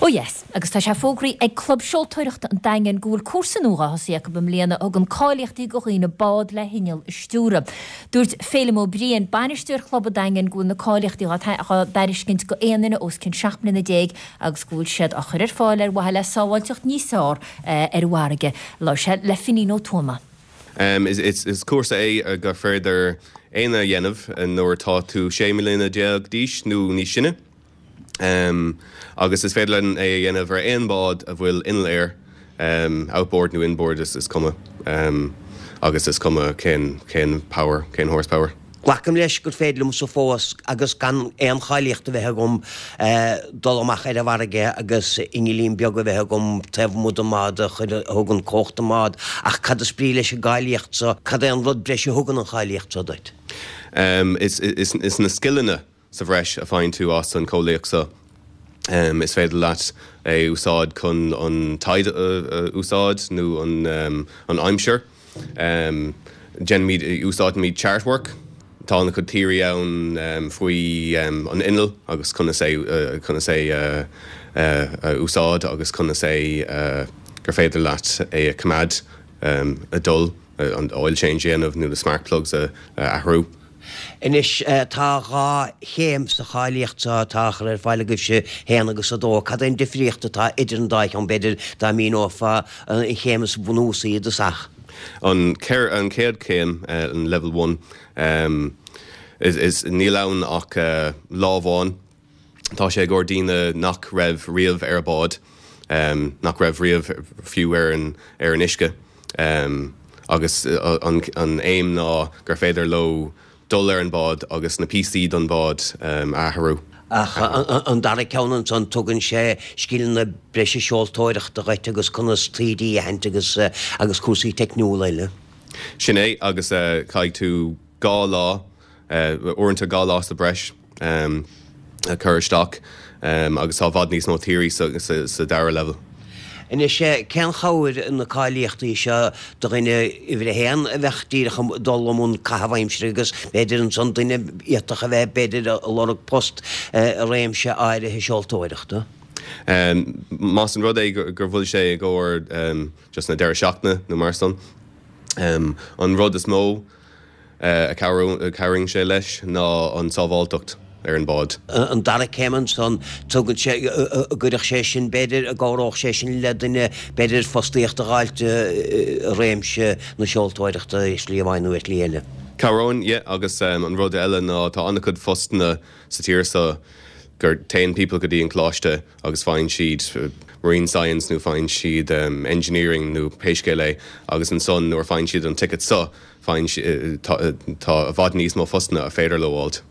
Ó yes, agus tá sé fógraithe ag Club Seoltóireachta an Daingin go bhfuil cúrsa nua dhá thosaí acu i mbliana a thugann cáilíochtaí go dhaoine bád le hinneall a stiúradh. Dúirt Féilim Ó Briain, bainisteoir Chlub an Daingin go bhfuil na cáilíochtaí dhá dtairiscint go aon duine os cionn 17 mbliana agus go bhfuil siad á chur ar fáil ar mhaithe le sábháilteacht níos fearr ar an bhfarraige. Labhair sé le Finín Ó Tuama. Is cúrsa é gur féidir éinne a dhéanamh nuair atá tú 16 mbliana d'aois nó níos sine. Agus is féidir linn é a dhéanamh ar aon bhád a bhfuil inneall air, outboard nó inboard, is cuma. Agus is cuma cén, cén power, cén horsepower. Glacaim leis gur féidir liomsa fós, agus gan aon cháilíocht a bheith agam, dul amach ar an bhfarraige agus inneallín beag a bheith agam taobh amuigh den mbád a chuir, a thugann cumhacht don mbád. Ach cad is brí leis an gcáilíocht so? Cad é an rud breise a thugann an cháilíocht so duit? Is, is na scileanna Sa bhreis a faigheann tú as an cháilíocht seo, is féidir leat é úsáid chun an tide a úsáid nó an aimsir. Déanaimid, úsáidimid chart work. Tá an-chuid theory ann faoi an inneall agus conas é, conas é a úsáid agus conas é gur féidir leat é a choimeád ag dul, an oil change a dhéanamh nó na spark plugs a athrú. Anois, tá 2 chéim sa cháilíocht seo atá á chur ar fáil agaibhse, 1 agus 2. Cad é an difríocht atá idir an dá cheann, b'fhéidir, dá míneofá an chéim is bunúsaí i dtosach? An chéad chéim, an Level One, is níl ann ach lá amháin. Tá sé i gcomhair daoine nach raibh riamh ar bád, nach raibh riamh fiú ar an ar an uisce agus an an aidhm ná gur féidir leo dul ar an bád agus na píosaí don bhád a athrú. Ach an dara ceann ansan, tugann sé scileanna breise seoltóireachta dhuit agus conas taoidí a aithint agus agus cúrsaí teicniúla eile. Sin é agus caithfidh tú 2 lá uaireanta 2 lá sa bhreis a chur isteach agus tá i bhfad níos mó theory sa dara level. Anois, cén chabhair na cáilíochtaí seo do dhuine uimhir a haon a bheadh díreach ag dul i mbun caitheamh aimsire agus b'fhéidir ansan duine a d'fhéadfadh a bheith b'fhéidir ag lorg post i réimse áirithe seoltóireachta? Más an rud é gur bhfuil sé i gcomhair just na deireadh seachtaine nó mar san, an rud is mó a chabhraíonn sé leis ná an tsábháilteacht ar an bád. An dara céim ansan, tugann sé, an gcuirfeadh sé sin, b'fhéidir, an gcabhródh sé sin le duine, b'fhéidir, fostaíocht a dh'fháilt i réimse na seoltóireachta ar shlí amháin nó ar shlí eile. Cabhróinn, yeah, agus an rud eile ná tá an-chuid postanna sa tír seo gur téann people go dtí an coláiste agus faigheann siad marine science nó faigheann siad engineering nó pé scéal é agus ansan nuair a faigheann siad an ticket seo, Faigheann, tá i bhfad níos mó postanna a féidir leo fháilt.